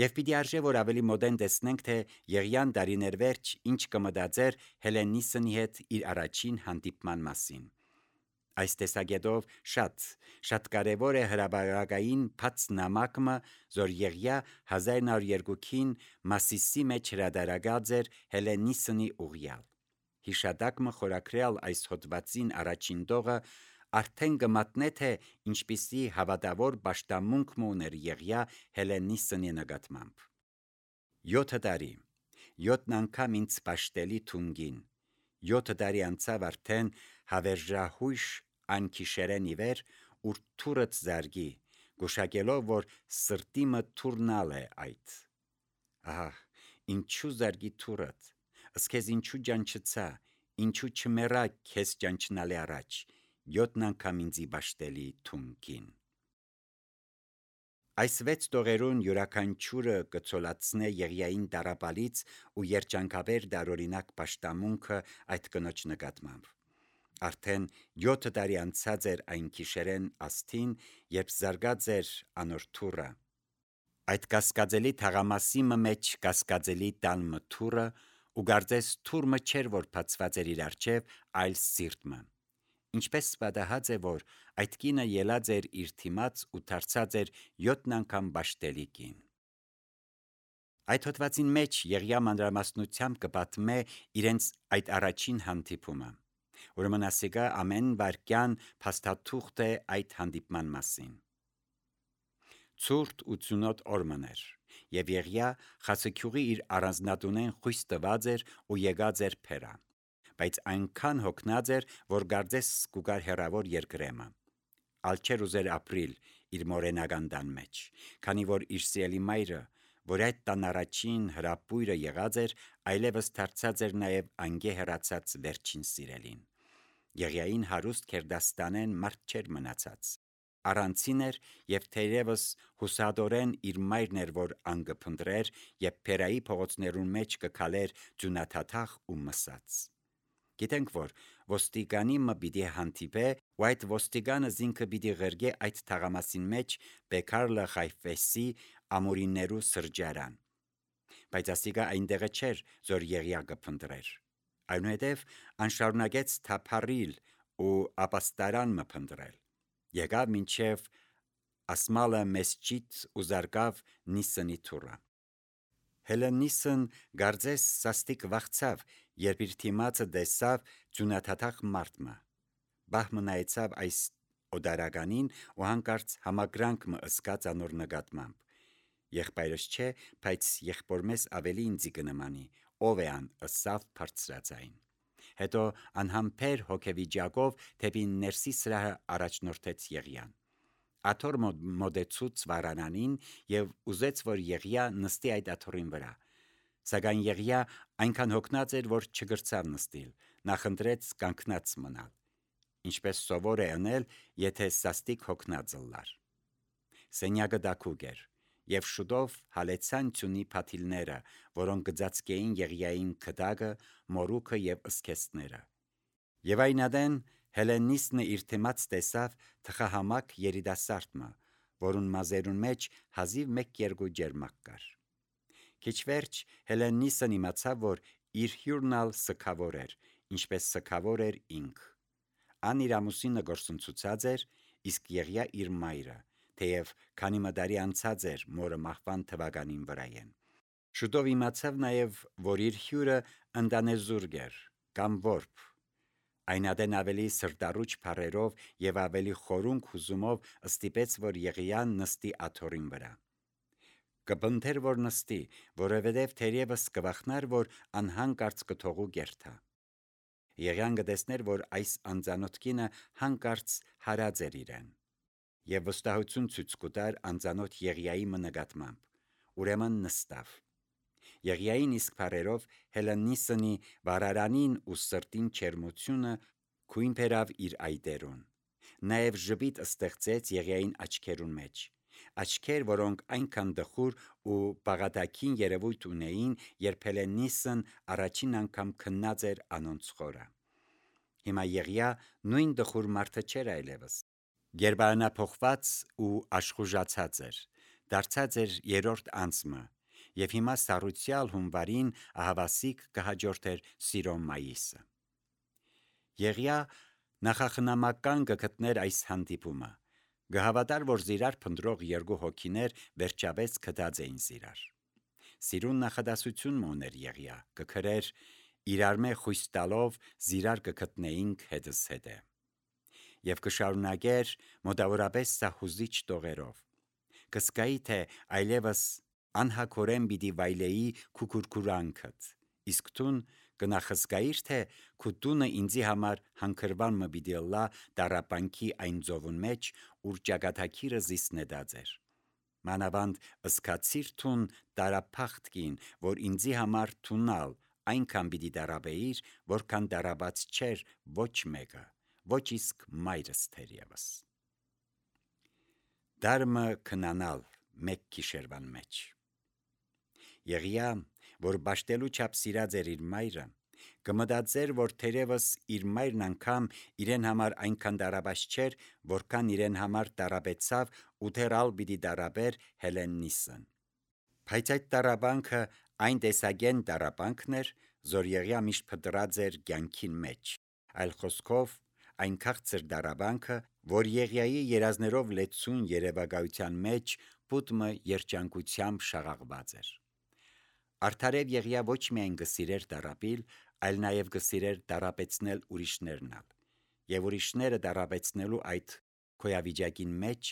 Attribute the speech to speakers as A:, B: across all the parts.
A: Եվ պիտի արժե, որ ավելի մոդեն տեսնենք, թե Եղիան դարիներ վերջ ինչ կմտածեր Հելենիսնի հետ իր առաջին հանդիպման մասին։ Այս տեսակետով շատ կարևոր է հրաբարակային բաց նամակը, որ Եղիա 1902-ին Մասիսի մեջ հրադարագած էր Հելենիսնի ուղյալ։ Հիշատակը խորագրյալ այս հոդվածին առաջին տողը արդեն կմատնե, թե ինչպիսի հավատավոր պաշտամունք ուներ Եղիա Հելենիսնի նկատմամբ։ 7 տարի, 7 անգամ ինձ պաշտելի թունգին, 7 տարի անցավ արդեն հավերժահույժ անքիշերեն իվեր, ուր թուրըց զարգի, գուշակելով, որ սրտիմը թուրնալ է այդ։ Ահա, ինչու զարգի թուրըց, ասքեզ ինչու ջանչծա, ինչու չմերա քեզ ջանչնալի առաջ, 7 անգամ ինձի պաշտելի թունգին։ Այս 6 տողերուն յուրաքանչյուրը կցոլացնե Եղիային տառապալից ու երջանկաբեր դարօրինակ պաշտամունքը այդ կնոջ նկատմամբ։ Արդեն 7 տարի անցած էր այն գիշերեն աստին, երբ զարգած էր անոր թուրը։ Այդ կասկածելի թաղամասի մեջ կասկածելի տալմը թուրը ու գարձես թուրմը չէր, որ բացված էր իր առջև, այլ սիրտմը։ Ինչպես պատահած է, որ այդ կինը ելած էր իր թիմած ու դարձած էր 7 անգամ պաշտելի կին։ Այդ հոդվածին մեջ Եղիա մանրամասնությամբ կպատմե իրենց այդ առաջին հանդիպումը։ Ուրեմն ասիկա ամեն վարքյան փաստաթուղթ է այդ հանդիպման մասին։ Ցուրտ 87 օրմն էր, եւ Եղիա խացիկյուղի իր առանձնատունեն խույս տված էր ու եկած էր փերա, բայց այնքան հոգնած էր, որ գարձես կուգար հերավոր երկրեմը։ Ալչեր ուզեր ապրիլ իր մորենական տան մեջ, քանի որ իր սիրելի մայրը, որ այդ տան առաջին հրապույրը եղած էր, այլևս դարձած էր նաև անգե հեռացած վերջին սիրելին։ Եղիային հարուստ քերդաստանեն մարդ չէր մնացած։ Առանցին էր եւ թերևս հուսադորեն իր մայրն էր, որ անգփնդրեր եւ փերայի փողոցներուն մեջ կքալեր ձյունաթաթախ ու մսած։ Գիտենք, որ ոստիկանի մը պիտի հանդիպե, ու այդ ոստիկանը զինքը պիտի ղրգե այդ թաղամասին մեջ Բեկարլը Խայֆեսի ամորիններու սրճարան։ Բայց ասիկա այնտեղը չէր, որ Եղիա կփնդրեր։ Այնուհետև անշարունակեց թափառիլ ու ապաստարան մը փնդրել։ Եկավ մինչև ասմալը մեսջիդ ու զարգավ Նիսնի թուրը։ Հելենիսն գարձես սաստիկ վախցավ, երբ իր թիմացը տեսավ ձյունաթաթախ մարդը։ Բահմը նայեցավ այս օդարականին ու հանկարծ համակրանք մը ըսկաց անոր նկատմամբ։ Եղբայրս չէ, բայց եղբորմես ավելի ինձի կնմանի, ով է ան ըսավ բարձրացային։ Հետո անհամբեր հոգեվիճակով թեպի ներսի սրահը առաջնորդեց Եղիան։ Աթոռ մոդեցուց վարանանին եւ ուզեց, որ Եղիա նստի այդ աթոռին վրա։ Սակայն Եղիա այնքան հոգնած էր, որ չգրցավ նստիլ, նախընտրեց կանգնած մնալ, ինչպես սովոր է անել, եթե սաստիկ հոգնած ըլլար։ Սենյակը դակուկ էր, եւ շուտով հալեցան ծունի փաթիլները, որոնք գծածկեին Եղիային քդակը, մորուքը եւ ըսքեստները։ Եվ այնադեն Հելենիսնը իր թեմած տեսավ թխահամակ երիտասարդը, որուն մազերուն մեջ հազիվ 1-2 ջերմակ կար։ Քիչ վերջ Հելենիսն իմացավ, որ իր հյուրնալ սքավոր էր, ինչպես սքավոր էր ինք։ Ան իր ամուսինը գործընծուցած էր, իսկ Եղիա իր մայրը, թեև քանի մդարի անցած էր մորը մահվան թվականին վրայեն։ Շուտով իմացավ նաև, որ իր հյուրը ընտանեզուրկ էր կամ որբ։ Այնադեն ավելի սրտառուչ փառերով եւ ավելի խորունկ հուզումով ստիպեց, որ Եղիան նստի աթոռին վրա։ Կպընթեր, որ նստի, որովհետև թերևս կվախնար, որ անհանկարծ կթողու գերթա։ Եղիան կտեսներ, որ այս անծանոթ կինը հանկարծ հարած էր իրեն, եւ վստահություն ցույց կտար անծանոթ Եղիայի նկատմամբ։ Ուրեմն նստավ։ Եղիային իսկ փառերով Հելենիսնի վարարանին ու սրտին չերմությունը քույն բերավ իր այտերուն։ Նաև ժպիտ ստեղծեց Եղիային աչքերուն մեջ։ Աչքեր, որոնք այնքան դխուր ու բաղատակին երևույթ ունեին, երբ Հելենիսն առաջին անգամ քննած էր անոնց խորը։ Հիմա Եղիա նույն դխուր մարդը չէր այլևս։ Գերբարանափոխված ու աշխուժացած էր, դարձած էր երրորդ անցմը, եւ հիմա սառուցյալ հունվարին ահավասիկ կհաջորդեր սիրո մայիսը։ Եղիա նախախնամական կգտներ այս հանդիպումը, գհավատար, որ զիրար փնդրող երկու հոգիներ վերջապես կդած էին զիրար։ Սիրուն նախադասություն մոներ Եղիա, կքրեր իրար մե խույս տալով զիրար կգտնեինք հետս հետե։ Եվ կշարունակեր մոտավորապես սահուզիչ տողերով, կսկայի թե այլևս անհակորեն պիտի վայլեի քուքուրքուրանքդ, իսկ տուն կնախսկայիր թե քու տունը ինձի համար հանգրվան մը պիտի լա դարապանքի այն ծովուն մեջ, ուր ճակատագիրը զիսնեդած էր։ Մանավանդ ըսկացիր թուն տարափախտկին, որ ինձի համար թունալ այնքան պիտի դարաբեիր, որքան դարաբած չէր ոչ մեկը, ոչ իսկ մայրս թերևս։ Դարմը քնանալ մեկ գիշերվան մեջ։ Եղիա, որ բաշտելու չափ սիրած էր իր մայրը, կմտածեր, որ թերևս իր մայրն անգամ իրեն համար այնքան դարաբաց չէր, որքան իրեն համար դարաբեցավ ու թերալ պիտի դարաբեր Հելեննիսն։ Բայց այդ դարաբանքը այն տեսագեն դարաբանքն էր, որ Եղիա միշտ փտրած էր կյանքին մեջ, այլ խոսքով այն քաղցր դարաբանքը, որ Եղիայի երազներով լեցուն երևակայության մեջ պուտմը երջանկությամբ շաղաղված էր։ Արդարև Եղիա ոչ միայն կսիրեր դարապիլ, այլ նաև կսիրեր դարապեցնել ուրիշներնալ, եւ ուրիշները դարապեցնելու այդ քոյավիճակին մեջ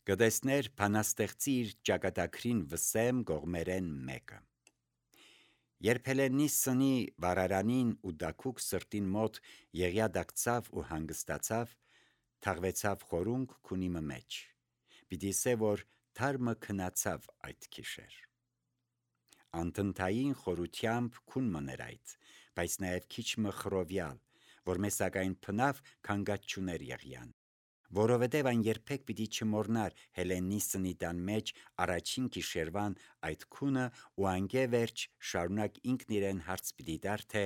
A: կտեսներ բանաստեղծի իր ճակատագրին վսեմ գողմերեն մեկը։ Երբ Հելեննիսնի վարարանին ու դակուկ սրտին մոտ Եղիա դակցավ ու հանգստացավ, թաղվեցավ խորունկ քունիմը մեջ, պիտի սե որ թարմը քնացավ այդ գիշեր։ Անտնտային խորությամբ քուն մներ այդ, բայց նաև քիչ մը խռովյալ, որ մեզ սակայն փնավ քանգած չուներ Եղիան, որովհետև այն երբեք պիտի չմոռնար Հելեննիսնի տան մեջ առաջին գիշերվան այդ քունը ու անգե վերջ շարունակ ինքն իրեն հարց պիտի տար, թե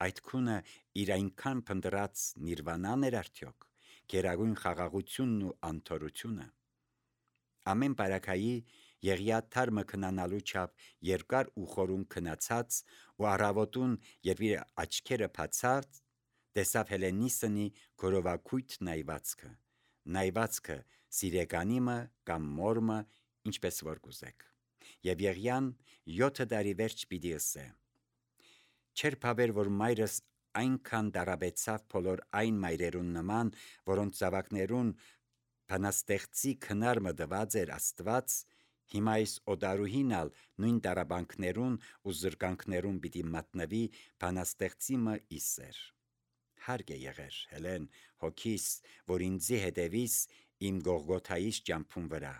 A: այդ քունը իր այնքան փնտրած նիրվանան էր արդյոք, գերագույն խաղաղությունն ու անթորությունը։ Ամեն բարակայի Եղիա թարմը քնանալու չափ երկար ու խորուն քնացած ու առավոտուն, երբ իր աչքերը բացած, տեսավ Հելեննիսնի գորովակույտ նայվածքը սիրեկանիմը կամ մորմը, ինչպես որ կուզեք։ Եվ Եղիան 7 տարի վերջ պիտի ըսե. չէր փաբեր, որ մայրս այնքան դարաբեցավ բոլոր այն մայրերուն նման, որոնց զավակներուն բանաստեղծի քնարմը դված էր Աստված, հիմա այս օտարուհինալ նույն դարաբանքներուն ու զրկանքներուն պիտի մատնվի բանաստեղծիմը իսեր։ Հարկ է եղեր, Հելեն, հոգիս, որ ինձի հետևիս իմ Գողգոթայիս ճամփուն վրա։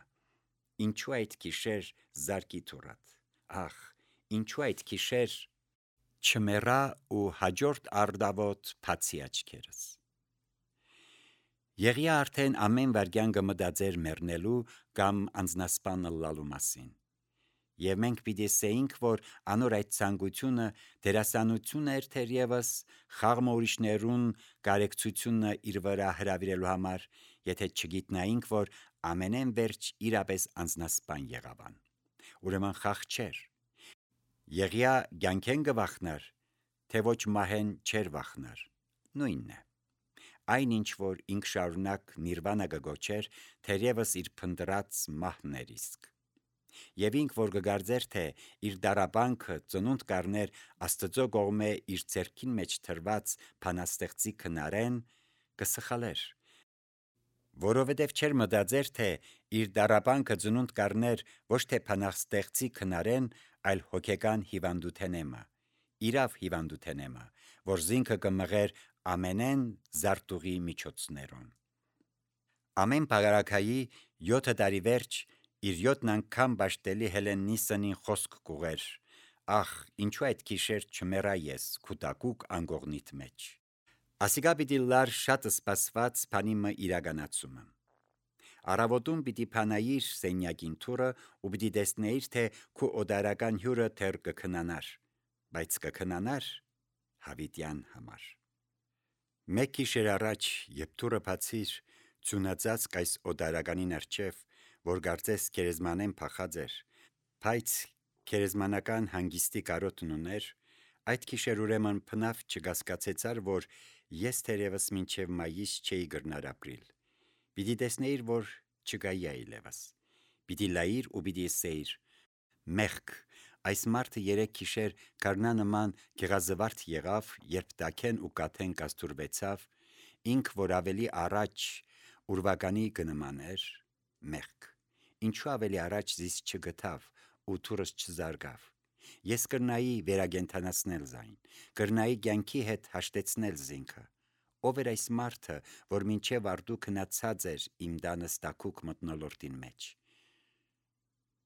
A: Ինչու այդ գիշեր զարկի թուրատ։ Ախ, ինչու այդ գիշեր չմեռա ու հաջորդ արդավոտ բացի աչքերս։ Եղիա արդեն ամեն վայրկյան կմտածեր մեռնելու կամ անձնասպան ըլլալու մասին։ Եվ մենք պիտի ասեինք, որ անոր այդ ցանկությունը դերասանություն էր թերևս խաղմը ուրիշներուն կարեկցությունը իր վրա հրավիրելու համար, եթե չգիտնայինք, որ ամենեն վերջ իրապես անձնասպան եղավան։ Ուրեմն խաղ չէր։ Եղիա կյանքեն կվախնար, թե ոչ մահեն չէր վախնար, նույնն է։ Այն ինչ որ ինք շարունակ նիրվանա կգոչեր, թերևս իր փնտրած մահն էր իսկ։ Եվ ինք որ կգարձեր, թե իր դարաբանքը ծնունդ կառներ Աստծո կողմէ իր ձեռքին մեջ թրված բանաստեղծի քնարեն, կսխալեր, որովհետև չէր մտածեր, թե իր դարաբանքը ծնունդ կառներ ոչ թե բանաստեղծի քնարեն, այլ հոգեկան հիվանդութենեմը, իրավ հիվանդութենեմը, որ զինքը կմղեր ամենեն զարտուղի միջոցներուն։ Ամեն պարակայի 7 տարի վերջ իր 7 անգամ բաշտելի Հելեննիսնին խոսք կուղեր. ախ, ինչու այդ գիշեր չմեռա ես քուտակուկ անգողնիտ մեջ։ Ասիկա պիտի լար շատ սպասված բանիմը իրականացումը։ Առավոտում պիտի փանայիր սենյակին թուրը ու պիտի տեսնեիր, թե քու օդարական հյուրը թեր կքնանար, բայց կքնանար հավիտյան համար։ Մեկ գիշեր առաջ, երբ թուրը բացիր, ծունածածկ այս օդարականին առջև, որ կարծես քերեզմանեն փախած էր, բայց քերեզմանական հանգիստի կարոտն ուներ, այդ գիշեր ուրեմն փնավ չգասկածեցար, որ ես թերևս մինչև մայիս չէի գրնար ապրիլ։ Պիտի տեսնեիր, որ չգայի այլևս։ Պիտի լայիր ու պիտի ասեիր. մեղք, այս մարդը 3 գիշեր գարնա նման գեղազվարթ եղավ, երբ տաքեն ու կաթեն կաստուրվեցավ, ինք որ ավելի առաջ ուրվականի կնմաներ, մեղք, ինչու ավելի առաջ զիս չգտավ ու թուրս չզարգավ։ Ես կրնայի վերագենթանացնել զայն, կրնայի կյանքի հետ հաշտեցնել զինքը։ Ով էր այս մարդը, որ մինչև արդու քնացած էր իմ դանս տակուկ մտնոլորտին մեջ։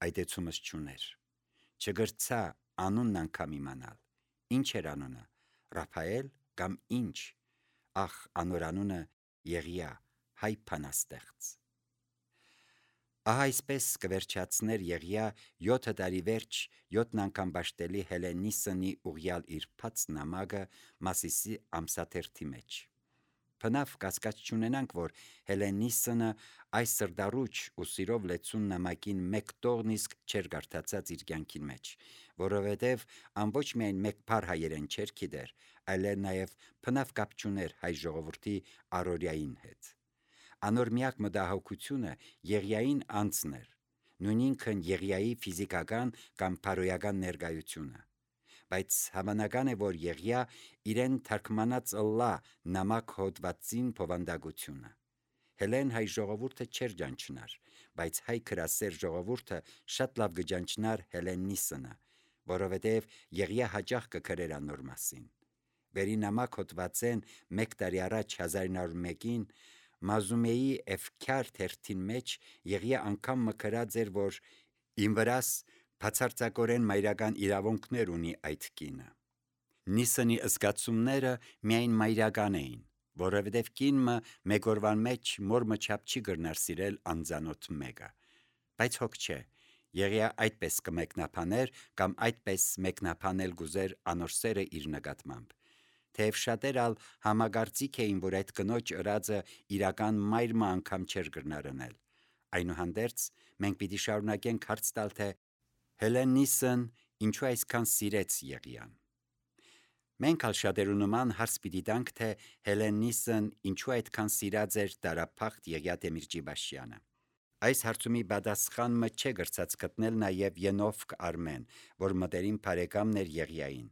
A: Այդեցումս չուներ, չգրցա անունն անգամ իմանալ, ինչ էր անունը, Ռափայել կամ ինչ, ախ անոր անունը Եղիա, հայ փանաստեղծ։ Ահա այսպես կվերջացներ Եղիա 7 տարի վերջ 7 անգամ բաշտելի Հելենիսնի ուղյալ իր փած նամակը Մասիսի ամսաթերթի մեջ։ Փնավ կասկած չունենանք, որ Հելենիսնը այս սրդառուչ ու սիրով լեցուն նամակին մեկ տողն իսկ չէր գարտացած իր կյանքին մեջ, որովհետև ամբողջ միայն մեկ փառ հայերեն չէր գիտեր, այլև նաև փնավ կապ չուներ հայ ժողովրդի առօրյային հետ։ Անոր միակ մտահոգությունը Եղիային անձն էր, նույնինքն Եղիայի ֆիզիկական կամ փարոյական ներկայությունը։ Բայց հավանական է, որ Եղիա իրեն թարգմանած ըլլա նամակ հոդվածին փովանդակությունը։ Հելեն հայ ժողովուրդը չէր ջանչնար, բայց հայ քրասեր ժողովուրդը շատ լավ կջանչնար Հելենիսնը, որովհետև Եղիա հաճախ կգրեր անոր մասին։ Վերի նամակ հոդվածեն 1 տարի առաջ 1901-ին Մազումեի Էվքյար թերթին մեջ Եղիա անգամ մկրած էր, որ իմ վրաս բացարձակորեն մայրական իրավունքներ ունի այդ կինը։ Նիսնի զգացումները միայն մայրական էին, որովհետև կինը մեկ օրվան մեջ մորմը չափ չի գրնար սիրել անձանոթ մեկը, բայց հոգ չէ, Եղիա այդպես կմեկնաբաներ կամ այդպես մեկնաբանել գուզեր անոր սերը իր նկատմամբ։ Թեև շատեր ալ համագործիկ էին, որ այդ կնոջ ըրածը իրական մայրը անգամ չէր գրնարնել։ Այնուհանդերձ մենք պիտի շարունակենք հարց տալ, թե Հելենիսն ինչու այսքան սիրեց Եղիան։ Մենք ալ շատերու նման հարց պիտի տանք, թե Հելենիսն ինչու այդքան սիրած էր տարափախտ Եղիա Դեմիրճիբաշյանը։ Այս հարցումի պատասխանը չէ գրծած գտնել նաև Ենովք Արմեն, որ մտերիմ բարեկամն էր Եղիային։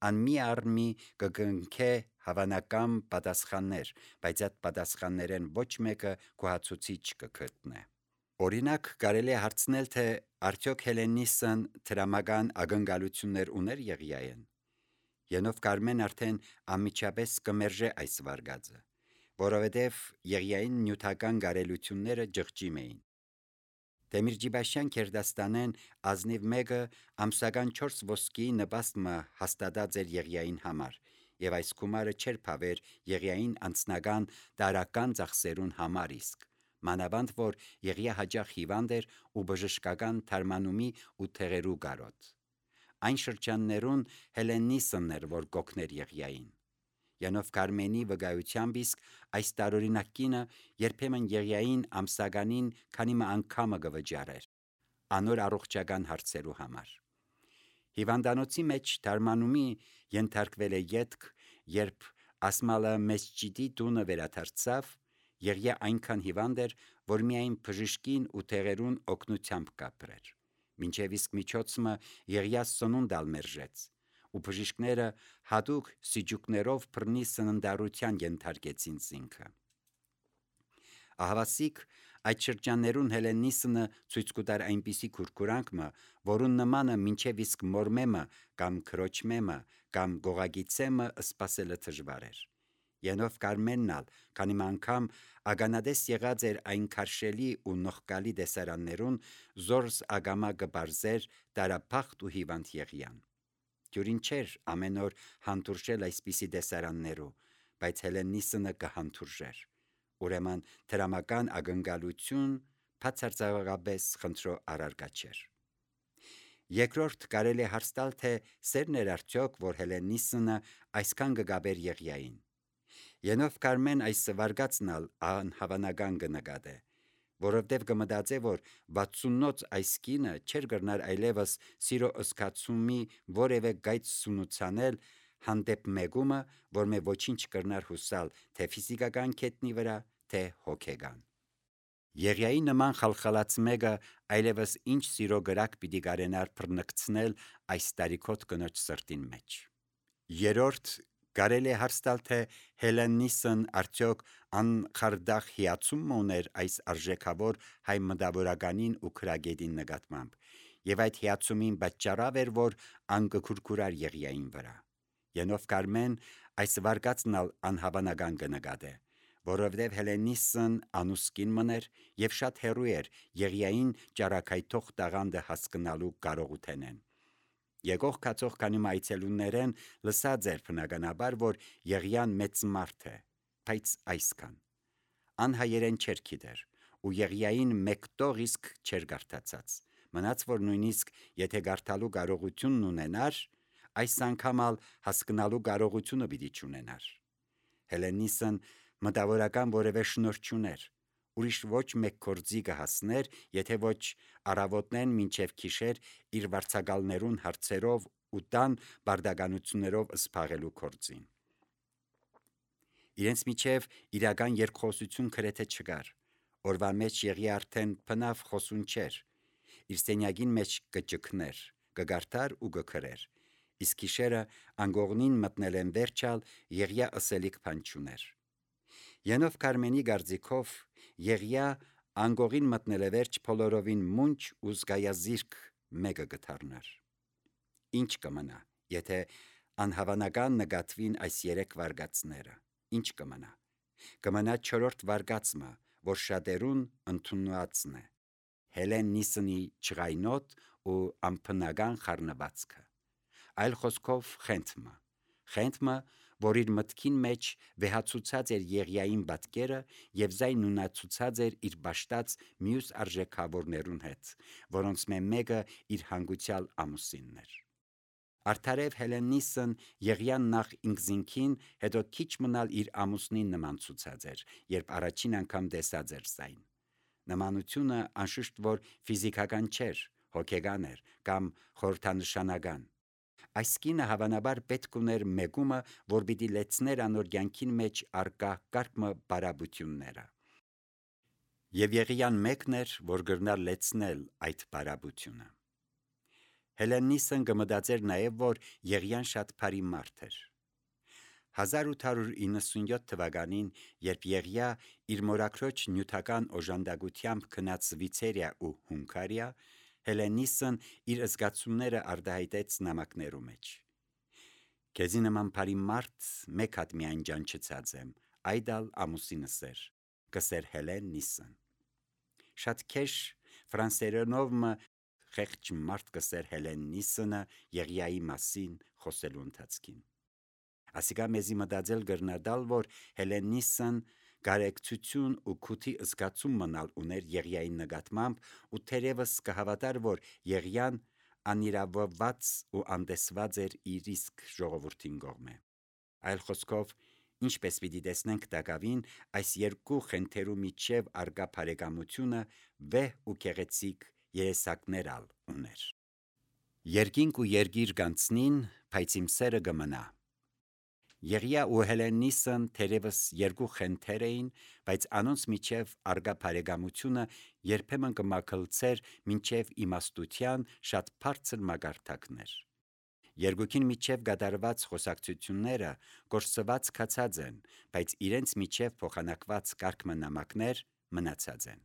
A: Ան մի առմի կգնքե հավանական պատասխաններ, բայց այդ պատասխաններեն ոչ մեկը գոհացուցիչ կգտնե։ Օրինակ կարելի է հարցնել, թե արդյոք Հելենիսն դրամական ակնկալություններ ուներ Եղիային։ Ենովք Արմեն արդեն անմիջապես կմերժե այս վարկածը, որովհետև Եղիային նյութական գարելությունները ջղջիմ էին։ Դեմիրճիբաշյան Քերդաստանեն ազնիվ մեկը ամսական 4 ոսկի նպաստը հաստատած էր Եղիային համար, եւ այս գումարը չէր փավեր Եղիային անձնական տարական ծախսերուն համար իսկ, մանավանդ որ Եղիա հաճախ հիվանդ էր ու բժշկական թարմանումի ու թեղերու գարոտ։ Այն շրջաններուն Հելենիսն էր, որ կօգներ Եղիային։ Յանովք Արմենի վկայությամբ իսկ այս տարօրինակ կինը երբեմն Եղիային ամսականին քանի անգամը կվճարեր անոր առողջական հարցերու համար։ Հիվանդանոցի մեջ թարմանումի ենթարկվել է ետք, երբ Ասմալը Մեսջիդի տունը վերադարձավ, Եղիա այնքան հիվանդ էր, որ միայն բժշկին ու թեղերուն օգնությամբ կապրեր։ Մինչև իսկ միջոցը Եղիա սնունդ մերժեց, ու բժիշկները հատուկ սիջուկներով բռնի սննդառության ենթարկեցին զինքը։ Ահավասիկ այդ շրջաններուն Հելենիսնը ցույց կտար այնպիսի քուրքուրանքը, որուն նմանը մինչև իսկ մորմեմը կամ քրոջմեմը կամ գողագիցեմը սпасելը դժվար էր։ Յանովք Արմեննալ քանի անգամ ագանադես եղած էր այն քարշելի ու նողկալի դեսարաններուն զորս ագամա կբարձեր տարափախտ ու հիվանդ Եղիան։ Դյուրին չէր ամեն օր հանդուրժել այսպիսի դեսարաններու, բայց Հելենիսնը կհանդուրժեր։ Ուրեմն դրամական ակնկալություն բացարձակապես խնդրո առարկա չէր։ Երկրորդ կարելի է հարց տալ, թե սերն էր արդյոք, որ Հելենիսնը այսքան կգաբեր Եղիային։ Յանովք Արմեն այս վարկածն ալ անհավանական կնկատե, որովհետև կմտածե, որ 60-նոց այս կինը չէր կրնար այլևս սիրո ըսկացումի որևէ գայծ սունուցանել հանդեպ մեկումը, որ մե ոչինչ կրնար հուսալ թե ֆիզիկական կետնի վրա, թե հոգեգան։ Եղիայի նման խալխալած մեկը այլևս ինչ սիրո գրակ պիտի կարենար բռնկցնել այս տարիքոտ կնոջ սրտին մեջ։ Երորդ կարելի է հարց տալ, թե Հելեննիսն արդյոք անխարդախ հիացում ուներ այս արժեքավոր հայ մտավորականին ու քրագետին նկատմամբ, եւ այդ հիացումին պատճառավ էր, որ անկքուրքուրար Եղիային վրա։ Ենով Կարմեն այս վարկածն անհավանական կնկատե, որովհետև Հելեննիսն անուսկին մներ եւ շատ հեռու էր Եղիային ճարակայթող տաղանդը հասկանալու կարողութենեն։ Եկող կացող քանի այցելուներեն լսած էր բնականաբար, որ Եղիան մեծ մարդ է, բայց այսքան անհայերեն չէր գիտեր, ու Եղիային մեկ տող իսկ չէր գարտացած, մնաց որ նույնիսկ եթե գարտալու կարողությունն ունենար, այս անգամ հասկանալու կարողությունը պիտի չունենար։ Հելեննիսն մտավորական որևէ շնորհ չուներ, ուրիշ ոչ մեկ գործի կհասներ, եթե ոչ առավոտներն մինչև գիշեր իր վարձակալներուն հարցերով ու տան բարդականություններով սփաղելու գործին։ Իրենց միջև իրական երկխոսություն գրեթե չկար, օրվա մեջ Եղիա արդեն բնավ խոսուն չէր, իր սենյակին մեջ կճկներ, կգարտար ու կգրեր, իսկ գիշերը անգողնին մտնելեն վերջալ Եղիա ըսելիք բան չուներ։ Ենով Կարմենի գարձիկով Եղիա անգողին մտնելը վերջ բոլորովին մունջ ու զգայազիրք մեկը կդառնար։ Ինչ կմնա, եթե անհավանական նկատվին այս 3 վարգածները, ինչ կմնա։ Կմնա 4-րդ վարգածը, որ շատերուն ընդունվածն է, Հելեննիսնի չղայնոտ ու ամփնական խառնվածքը, այլ խոսքով խենթը, որ իր մտքին մեջ վեհացուցած էր Եղիային պատկերը եւ զայնունացուցած էր իր ճաշտած մյուս արժեքավորներուն հետ, որոնց մեկը իր հանգուցյալ ամուսինն էր։ Արդարև Հելեննիսն Եղիան նախ ինքզինքին, հետո քիչ մնալ իր ամուսնին նման ցուցած էր, երբ առաջին անգամ տեսած էր զայն։ Նմանությունը անշուշտ որ ֆիզիկական չէր, հոգեգան էր կամ խորհրդանշանական։ Այս կինը հավանաբար պետք ուներ մեկումը, որ պիտի լեցներ անոր կյանքին մեջ արկա կարգ բարաբությունները։ Եվ Եղիան մեկն էր, որ գրնար լեցնել այդ բարաբությունը։ Հելեննիսն կմտածեր նաև, որ Եղիան շատ բարի մարդ էր։ 1897 թվականին, երբ Եղիա իր մորաքրոջ նյութական օժանդակությամբ գնաց Շվեյցարիա ու Հունգարիա, Հելեննիսն իր զգացումները արտահայտեց նամակներու մեջ։ Քեզի նման բարի մարդ մեկ հատ միայն ջանչեցած եմ, այդալ ամուսինս էր, կսեր Հելեննիսն։ Շատ քեշ ֆրանսերենով խեղճ մարդ կսեր Հելեննիսնը Եղիայի մասին խոսելու ընթացքին։ Ասիկա մեզի մտածել գրնադալ, որ Հելեննիսն գարեկցություն ու քութի զգացում մնալ ուներ Եղիայի նկատմամբ ու թերևս կհավատար, որ Եղիան անիրավված ու անտեսված էր իր իսկ ժողովրդին կողմէ։ Այլ խոսքով, ինչպես պիտի տեսնենք տակավին, այս երկու խենթերու միջև արկա բարեկամությունը վեհ ու գեղեցիկ երեսակներ ուներ։ Երկինք ու երգիր գանցնին, բայց իմ սերը կմնա։ Եղիա ու Հելեննիսն թերևս երկու խենթեր էին, բայց անոնց միջև արկա բարեկամությունը երբեմն կմաքլցեր մինչև իմաստության շատ բարձր մակարդակներ։ Երկուքին միջև կատարված խոսակցությունները կորսված կացած են, բայց իրենց միջև փոխանակված կարգմանամակներ մնացած են։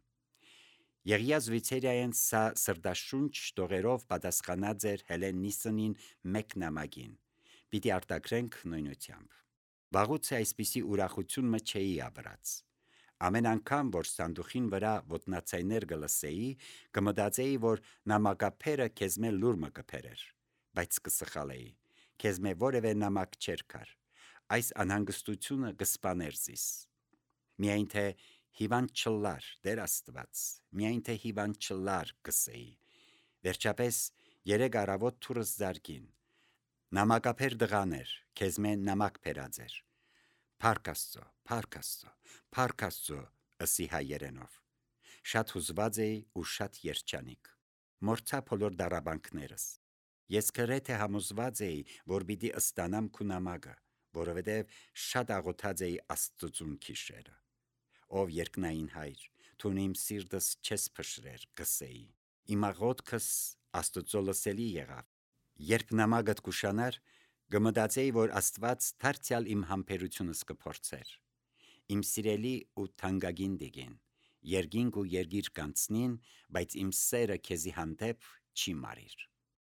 A: Եղիա Շվեյցարիայեն սա սրտաշունչ տողերով պատասխանած էր Հելեննիսնին մեկ նամակին։ Պիտի արտակրենք նույնությամբ։ Վաղուց այսպիսի ուրախություն մը չէի ապրած։ Ամեն անգամ, որ սանդուխին վրա ոտնացայներ կլսեի, կմտածեի, որ նամակապերը քեզ մե լուր մը կփերեր, բայց կսխալեի, քեզ մե որևէ նամակ չէր կար, այս անհանգստությունը կսպաներ զիս։ Միայն թե հիվանդ չլար, Տեր Աստված, միայն թե հիվանդ չլար կսեի։ Վերջապես 3 առավոտ թուրս զարգին։ Նամակապեր դղաներ, քեզ մե նամակ փերած էր։ Փառք Աստծո, փառք Աստծո, փառք Աստծո, ըսի հայերենով։ Շատ հուզված էի ու շատ երջանիկ։ Մորցա բոլոր դարաբանքներս։ Ես գրեթե համոզված էի, որ պիտի ստանամ քու նամակը, որովհետև շատ աղոթած էի Աստծուն քիշերը։ Ով երկնային Հայր, դու իմ սիրտս չես փշրեր, գսեի։ Իմ աղոթքս Աստծո լսելի եղավ։ Երբ նամակդ կուշանար, կմտածեի, որ Աստված դարձյալ իմ համբերությունս կփորձեր։ Իմ սիրելի ու թանկագին դիգին, երկինք ու երկիր կանցնին, բայց իմ սերը քեզի հանդեպ չի մարիր։